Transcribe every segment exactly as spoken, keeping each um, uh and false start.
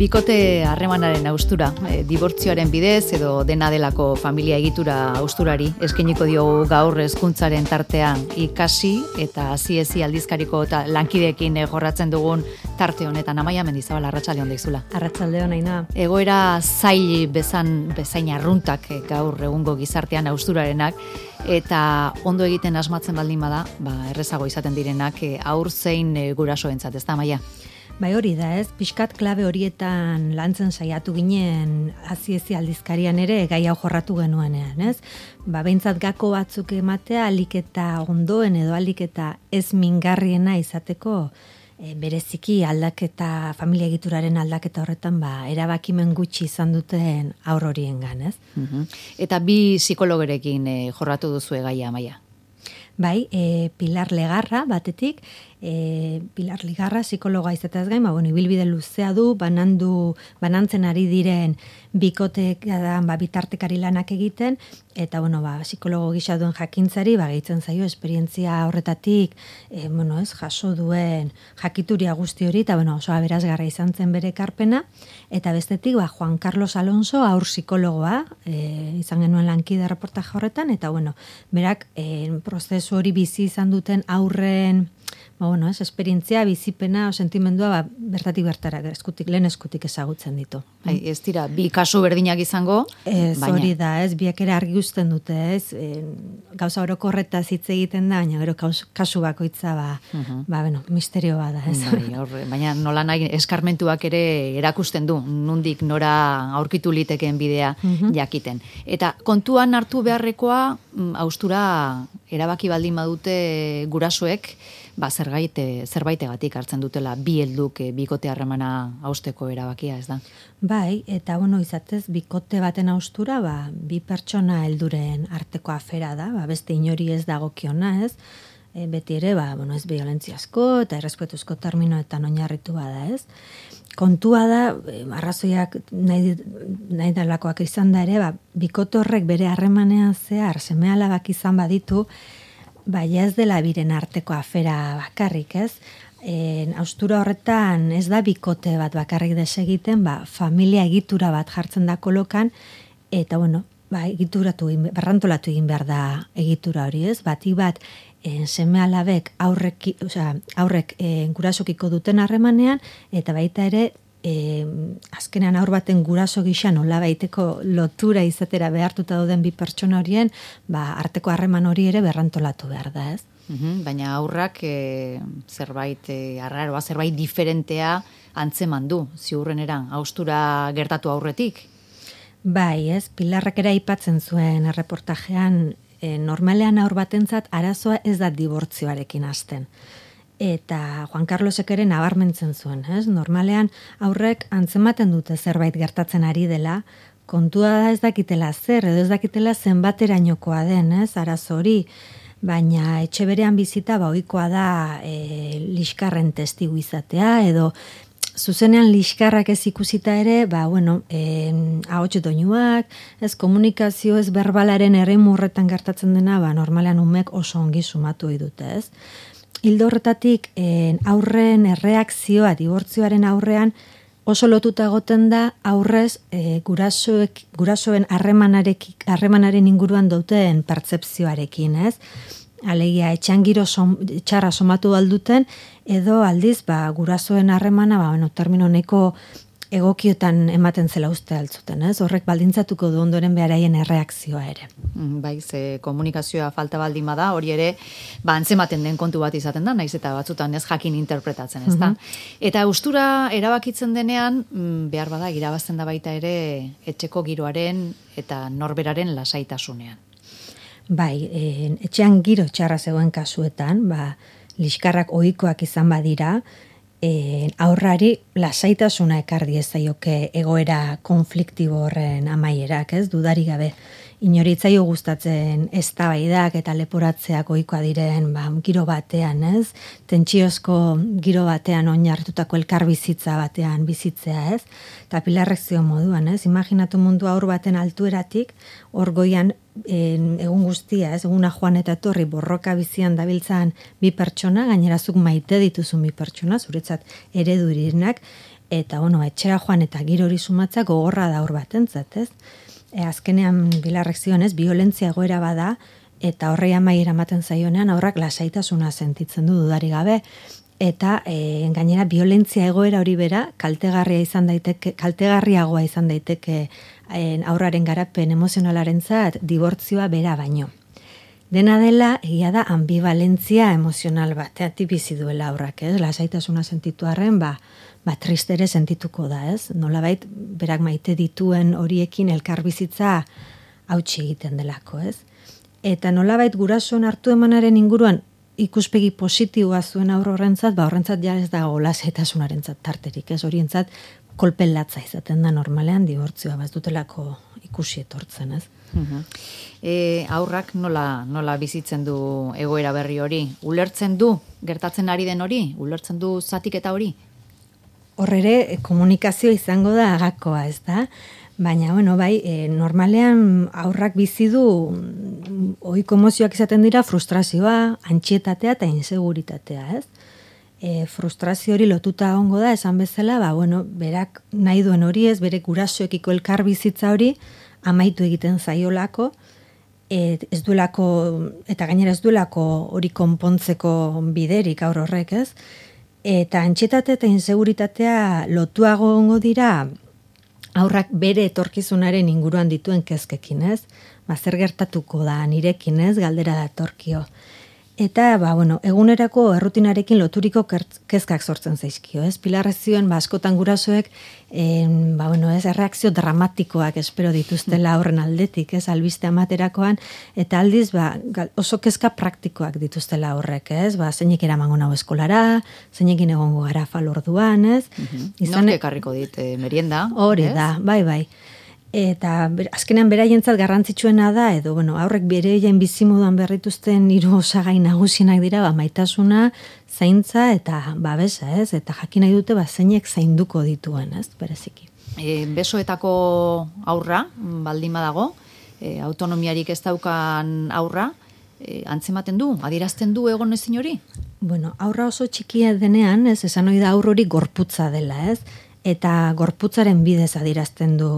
Bikote harremanaren haustura, e, dibortzioaren bidez edo dena delako familia egitura hausturari eskainiko diogu gaur hezkuntzaren tartean ikasi eta hasiezi aldizkariko eta lankideekin e, jorratzen dugun tarte honetan. Amaia Mendizabal, arratsalde on deizula. Arratsalde on, Aina. Egoera zail bezan bezain arruntak e, gaur egungo gizartean hausturarenak eta ondo egiten asmatzen baldin bada, ba errezago izaten direnak e, haur zein e, gurasoentzat, ezta Amaia? Bai, hori da, ez? Pixkat klabe horietan lantzen saiatu ginen hasiezi aldizkarian ere gai hau jorratu genuenean, ez? Ba, behintzat gako batzuk ematea alik eta ondoen edo alik eta ez mingarriena izateko e, bereziki aldaketa, familia egituraren aldaketa horretan, ba, erabakimen gutxi izan duten haur horiengan, ez? Uh-huh. Eta bi psikologerekin e, jorratu duzu gaia, Amaia? Bai, e, Pilar Legarra batetik, e, Pilar Legarra psikologa izateaz gain, ba, bueno, ibilbide luzea du, banandu, banantzen ari diren bikotek da, ba, bitartekari lanak egiten, eta bueno, ba, psikologo gisa duen jakintzari, ba, gehitzen zaio esperientzia horretatik, e, bueno, ez, jaso duen jakituria guzti hori, eta bueno, oso aberasgarra izan zen bere ekarpena, eta bestetik, ba, Juan Carlos Alonso, aur psikologoa, e, izan genuen lankide reportaje horretan, eta bueno, berak, e, prozesu hori bizi izan duten aurren, ba, bueno, ez, esperientzia, bizipena, o sentimendua, ba, bertatik bertara, eskutik, lehen eskutik ezagutzen ditu. Hai, ez dira, bi kasu berdinak izango, ez, baina. Hori da, ez, biak ere argi uzten dute, ez, e, gauza orokorretaz hitz egiten da, baina gero kasu bakoitza, ba, uh-huh. ba, bueno, misterio bada, ez. Bai, horre, baina nola nahi eskarmentuak ere erakusten du, nundik nora aurkitu litekeen bidea uh-huh. jakiten. Eta kontuan hartu beharrekoa, haustura erabaki baldin badute gurasoek, ba, zerbait, zerbaitegatik hartzen dutela bi helduk e, bikote harremana hausteko erabakia, ez da? Bai, eta bueno, izatez, bikote baten haustura, ba, bi pertsona helduren arteko afera da, ba, beste inori ez dagokiona, ez? E, beti ere, ba, bueno, ez biolentziazko eta errespetuzko terminoetan oinarritu bada, ez? Kontua da, e, arrazoiak nahi, nahi dalakoak izan da ere, ba, bikote horrek bere harremanean zehar, seme-alabak izan baditu, baina ez dela biren arteko afera bakarrik, ez? E, haustura horretan ez da bikote bat bakarrik desegiten, ba, familia egitura bat jartzen da kolokan, eta bueno, ba, egituratu, berrantolatu egin behar da egitura hori, ez? Batik bat, e, seme alabek aurrek, osea, aurrek e, gurasokiko duten harremanean, eta baita ere, E, azkenean aur baten guraso gisa nola baiteko lotura izatera behartuta dauden bi pertsona horien, ba, arteko harreman hori ere berrantolatu behar da, ez? Uhum, baina aurrak e, zerbait e, arraroa, zerbait diferentea antzeman du, ziurreneran, haustura gertatu aurretik? Bai, ez, Pilarrak ere aipatzen zuen erreportajean, e, normalean aur batentzat arazoa ez da dibortzioarekin hasten. Eta Juan Carlosek ere nabarmentzen zuen, ez? Normalean aurrek antzematen dute zerbait gertatzen ari dela, kontua da ez dakitela zer, edo ez dakitela zenbaterainokoa den, ez? Arazo hori, baina etxe berean bizita ba ohikoa da e, liskarren testigu izatea, edo zuzenean liskarrak ez ikusita ere, ba, bueno, e, ahots doinuak, ez komunikazio ez berbalaren eremu horretan gertatzen dena, ba, normalean umek oso ongi sumatu dute, ez? Hildo horretatik aurren erreakzioa dibortzioaren aurrean oso lotuta egoten da aurrez e, gurasoek, gurasoen harremanaren inguruan duten pertzepzioarekin, ez? Alegia, etxean giro som, txarra somatu alduten, edo aldiz, ba, gurasoen harremana, ba, bueno, termino neko egokiotan ematen zela uste altzuten, ez? Horrek baldintzatuko du ondoren beharaien erreakzioa ere. Bai, ze komunikazioa falta baldin bada, hori ere, ba, antzematen den kontu bat izaten da, naiz eta batzutan ez jakin interpretatzen, ez da? Uh-huh. Eta haustura erabakitzen denean, behar bada, irabazten da baita ere, etxeko giroaren eta norberaren lasaitasunean. Bai, e, etxean giro txarra zegoen kasuetan, ba, liskarrak ohikoak izan badira, E, aurrari lasaitasuna ekar diezaioke egoera konfliktibo horren amaierak, ez? Dudari gabe. Inoritzaio gustatzen eztabaidak eta leporatzeak ohikoa diren, ba, giro batean, ez? Tentsiozko giro batean oinarritutako elkarbizitza batean bizitzea, ez? Eta Pilarrek zio moduan, ez? Imaginatu mundu aur baten altueratik, hor goian en, egun guztia, ez? Eguna joan eta etorri borroka bizian dabiltzan bi pertsona, gainerazuk maite dituzun bi pertsona, zuretzat eredurirenak, eta bueno, etxera joan eta giro hori sumatza gogorra da hor batentzat, ez? E, azkenean Pilarrek zioen, ez, violentzia egoera bada, eta horrei amaiera ematen zaionean aurrak lasaitasuna sentitzen du dudari gabe, eta e, gainera violentzia egoera hori bera kaltegarria izan daiteke, kaltegarriagoa izan daiteke e, aurraren garapen emozionalarentzat dibortzioa bera baino. Dena dela, egia da, ambivalentzia emozional bateati bizi duela aurrak, ez? Lasaitasuna sentitu arren, ba, ba tristere sentituko da, ez? Nolabait, berak maite dituen horiekin elkarbizitza hautsi egiten delako, ez? Eta nolabait gurasoen hartu emanaren inguruan ikuspegi positiboa zuen aurro horrentzat, ba horrentzat ja ez dago lasaitasunarentzat tarterik, ez? Horientzat kolpen latza izaten da normalean dibortzioa, ba ez dutelako ikusi etortzen, ez? Uh-huh. E, aurrak nola, nola bizitzen du egoera berri hori? Ulertzen du gertatzen ari den hori? Ulertzen du zatiketa hori? Horrere komunikazio izango da agakoa, ez da? Baina, bueno, bai, e, normalean aurrak bizi du ohiko emozioak izaten dira frustrazioa, antxietatea eta inseguritatea, ez? E, frustrazio hori lotuta egongo da, esan bezala, ba, bueno, berak nahi duen hori ez, bere gurasoekiko elkar bizitza hori amaitu egiten zaiolako, et, ez duelako, eta gainera ez duelako hori konpontzeko biderik aur horrek, ez? Eta antxietate eta inseguritatea lotuago egongo dira aurrak bere etorkizunaren inguruan dituen kezkekin, ez? Ba, zer gertatuko da nirekin, ez? Galdera datorkio. Eta, ba, bueno, egunerako errutinarekin loturiko kezkak sortzen zaizkio, ez? Pilarrek zioen, ba, askotan gurasoek, en, ba, bueno, ez, erreakzio dramatikoak espero dituztela horren aldetik, ez? Albiste amaterakoan, eta aldiz, ba, oso kezka praktikoak dituztela horrek, ez? Ba, zeinek eramango nau eskolara, zeinekin egongo gara falorduan, ez? Uh-huh. Nork ekarriko dit, eh, merienda? Hori da, bai, bai. Eta ber, azkenean beraientzat garrantzitsuena da, edo bueno, aurrek bereien bizimoduan berrituzten hiru osagai nagusienak dira, ba, maitasuna, zaintza eta babesa, ez? Eta jakin nahi dute ba zeinek zainduko dituen, ez? Bereziki. E, besoetako aurra, baldin badago, e, autonomiarik ez daukan aurra, e, antzematen du, adierazten du egon ezin hori? Bueno, aurra oso txikia denean, ez, esan hori da aur hori gorputza dela, ez? Eta gorputzaren bidez adierazten du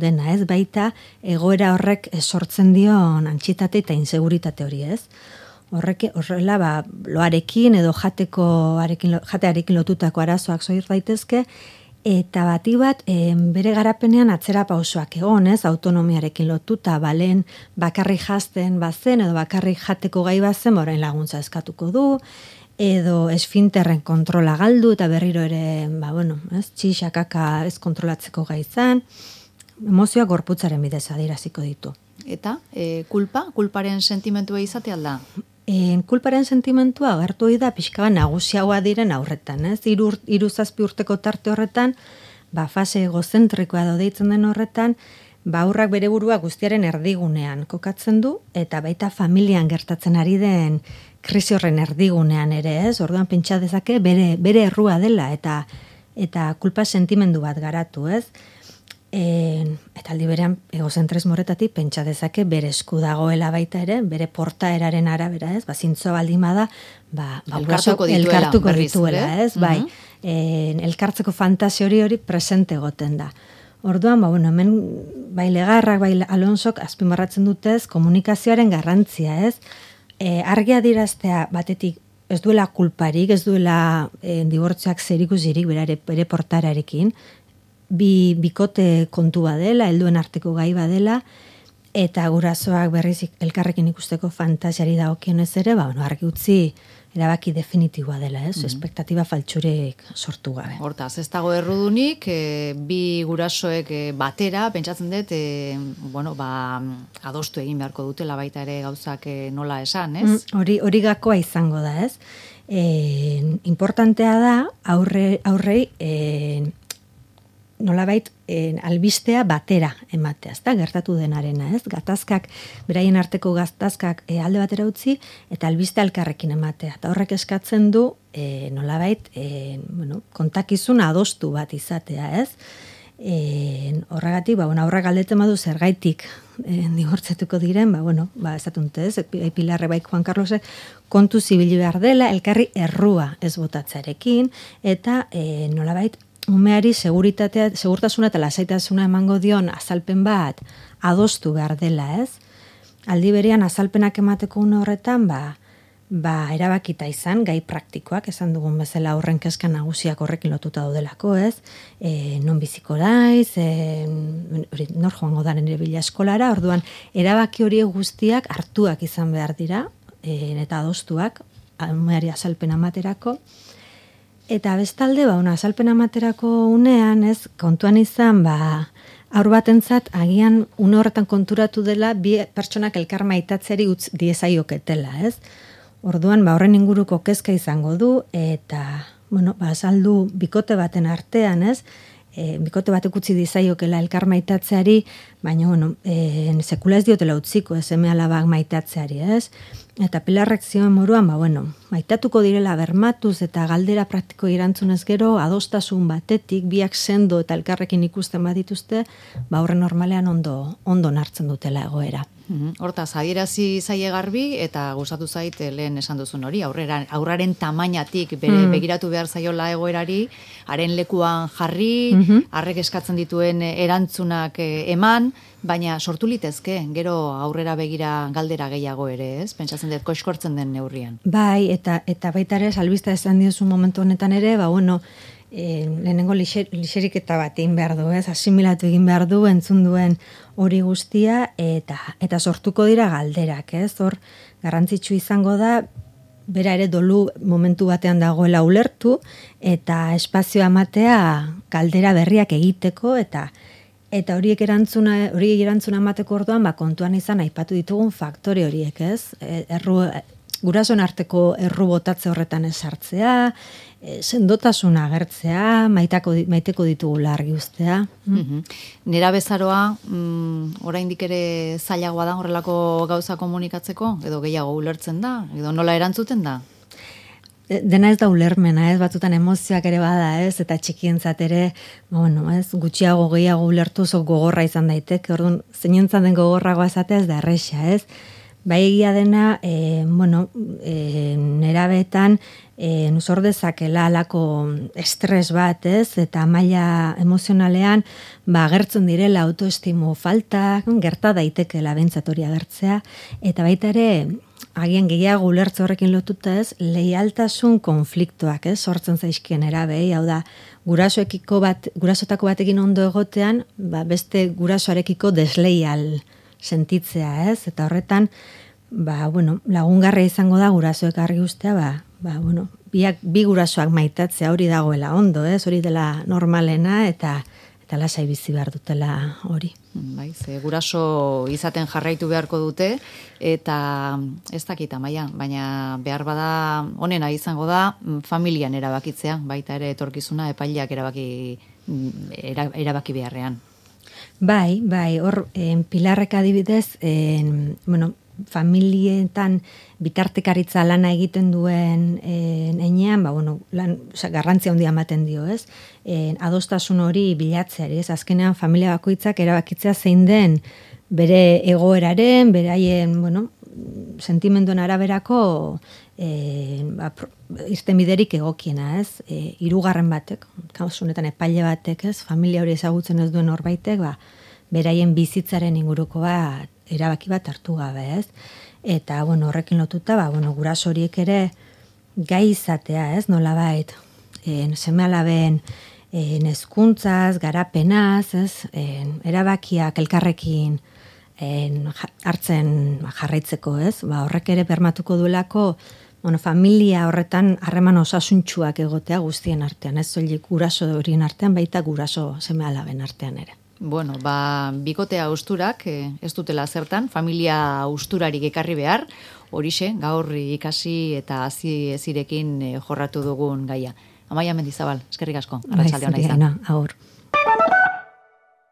dena, ez? Baita egoera horrek sortzen dion antxietate eta inseguritate hori, ez? Horrek horrela ba loarekin edo jateko arekin jatearekin lotutako arazoak soir daitezke eta bati bat e, bere garapenean atzera pausoak egon, ez? Autonomiarekin lotuta, balen bakarrik jazten bazen edo bakarrik jateko gai bazen, orain laguntza eskatuko du. Edo esfinterren kontrola galdu eta berriro ere, ba, bueno, ez, txixakaka ez kontrolatzeko gai izan, emozioa gorputzaren bidez adieraziko ditu. Eta, e, kulpa? Kulparen sentimentua izate alda? E, kulparen sentimentua agertu da pixka bat nagusiagoa diren aurretan, ez? Hiru hiru zazpi urteko tarte horretan, ba, fase egozentrikoa edo deitzen den horretan, ba, aurrak bere burua guztiaren erdigunean kokatzen du, eta baita familian gertatzen ari den krisi horren erdigunean ere, ez? Orduan pentsa dezake bere bere errua dela eta eta kulpa sentimendu bat garatu, ez? E, eta aldi berean egozentrismo horretatik pentsa dezake bere esku dagoela baita ere, bere portaeraren arabera, ez? Ba zintzo baldin bada, ba, ba elkartuko dituela, elkartuko berriz, dituela, ez? Uh-huh. Bai. E, elkartzeko fantasia hori hori presente egoten da. Orduan, ba, bueno, hemen bai Legarrak, bai Alonsok azpimarratzen dutez komunikazioaren garrantzia, ez? E, argi adieraztea batetik ez duela kulparik, ez duela e, dibortzioak zerikusirik berare bere portararekin, bi bikote kontua dela, helduen arteko gai badela, eta gurasoak berriz elkarrekin ikusteko fantasiari dagokionez ere, ba, bueno, argi utzi erabaki definitiboa dela, ez? Mm-hmm. Espektatiba faltsurik sortu gabe. Hortaz, ez dago errudunik, e, bi gurasoek e, batera, pentsatzen dut, e, bueno, ba, adostu egin beharko dutela baita ere gauzak e, nola esan, ez? Mm, hori hori gakoa izango da, ez? E, importantea da, aurre, aurrei, e, nolabait eh, albistea batera ematea, ezta gertatu denarena, ez? Gatazkak, beraien arteko gatazkak eh, alde batera utzi eta albiste elkarrekin ematea. Eta horrek eskatzen du eh, nolabait eh, bueno, kontakizun adostu bat izatea, ez? Eh, horregatik, ba, bueno, aurrak galdetzen badu zergaitik eh, dibortzatuko diren, ba, bueno, ba, esatun ez, Pilarre bai Juan Carlosek kontu zibili behar dela, elkarri errua ez botatzarekin, eta eh, nolabait umeari seguritatea, segurtasuna eta lasaitasuna emango dion azalpen bat adostu behar dela, ez? Aldi berean azalpenak emateko une horretan, ba, ba erabakita izan, gai praktikoak, esan dugun bezala horren kezka nagusiak horrekin lotuta daudelako, ez? E, non biziko daiz, e, nor joango da nire bila eskolara, orduan, erabaki horiek guztiak hartuak izan behar dira, e, eta adostuak, umeari azalpen amaterako. Eta bestalde, ba, una azalpen amaterako unean, ez, kontuan izan, ba, haur batentzat agian une horretan konturatu dela bi pertsonak elkar maitatzeari utz diezaioketela, ez? Orduan, ba, horren inguruko kezka izango du, eta, bueno, ba, azaldu bikote baten artean, ez? E, bikote batek utzi dizaiokela elkar maitatzeari, baina, bueno, e, sekula ez diotela utziko, ez eme alabak maitatzeari, ez? Eta Pilarrek zioen moruan, ba, bueno, maitatuko direla bermatuz eta galdera praktiko erantzunez gero, adostasun batetik, biak sendo eta elkarrekin ikusten badituzte, ba, horren normalean ondo, ondo nartzen dutela egoera. Hortaz, adierazi zaie garbi eta gustatu zait lehen esan duzun hori, aurrera, aurraren tamainatik bere mm. begiratu behar zaiola egoerari, haren lekuan jarri, mm-hmm. harrek eskatzen dituen erantzunak eman, baina sortu litezke, gero aurrera begira galdera gehiago ere, ez? Pentsatzen dut koiskortzen den neurrian. Bai, eta eta baita ere, albista esan diozu momentu honetan ere, ba, bueno, E, lehenengo lixeriketa bat egin behar du, ez? Asimilatu egin behar du, entzun duen hori guztia, eta eta sortuko dira galderak, ez? Hor, garrantzitsu izango da, bera ere dolu momentu batean dagoela ulertu, eta espazioa ematea galdera berriak egiteko, eta eta horiek erantzuna, horiek erantzuna emateko orduan, ba, kontuan izan aipatu ditugun faktore horiek, ez? Erru, gurasoen arteko erru botatze horretan esartzea, e, sendotasuna agertzea, maitako, maiteko ditugula argi ustea. Mm-hmm. Nera bezaroa, mm, oraindik ere zailagoa da horrelako gauza komunikatzeko, edo gehiago ulertzen da, edo nola erantzuten da? Dena ez da ulermena, ez, batzutan emozioak ere bada, ez, eta txikientzat ere, bueno, ez, gutxiago gehiago ulertu zo gogorra izan daiteke, orduan, zeinentzat den gogorragoa esatea ez da erresa, ez. Bai egia dena, e, bueno, e, nerabetan, e, nuzor dezakela alako estres bat, ez, eta maila emozionalean, ba, agertzen direla autoestimu falta, gerta daitekela bentsat hori agertzea, eta baita ere, agian gehiago ulertze horrekin lotuta ez, leialtasun konfliktoak, ez, sortzen zaizkien erabei, hau da, gurasoekiko bat, gurasotako batekin ondo egotean, ba, beste gurasoarekiko desleial sentitzea, ez, eta horretan, ba, bueno, lagungarria izango da gurasoek argi ustea, ba, ba, bueno, biak, bi gurasoak maitatzea hori dagoela ondo, ez, hori dela normalena, eta eta lasai bizi behar dutela hori. Bai, ze guraso izaten jarraitu beharko dute, eta ez dakit Amaia, baina behar bada honena izango da familian erabakitzea, baita ere etorkizuna epaileak erabaki, era, erabaki beharrean. Bai, bai, hor, en, Pilarrek adibidez, en, bueno, familietan bitartekaritza lana egiten duen en, enean, ba, bueno, lan, oza, garrantzia handia ematen dio, ez? En, adostasun hori bilatzeari, ez? Azkenean familia bakoitzak erabakitzea zein den bere egoeraren, beraien, bueno, sentimenduen araberako e, ba, irtenbiderik egokiena, ez? E, hirugarren batek, kasu honetan epaile batek, ez? Familia hori ezagutzen ez duen horbaitek, ba, beraien bizitzaren inguruko bat erabaki bat hartu gabe, ez? Eta, bueno, horrekin lotuta, ba, bueno, guraso horiek ere gai izatea, ez? Nolabait, en seme-alaben en hezkuntzaz, garapenaz, ez? En, erabakiak elkarrekin en, hartzen jarraitzeko, ez? Ba, horrek ere bermatuko duelako, bueno, familia horretan harreman osasuntsuak egotea guztien artean, ez? Soilik guraso horien artean, baita guraso seme-alaben artean ere. Bueno, ba, bikotea austurak eh, ez dutela zertan, familia austurarik ekarri behar, horixe, gaur ikasi eta hazi ezirekin eh, jorratu dugun gaia. Amaia Mendizabal, eskerrik asko, arratsalde ona izan. Agur.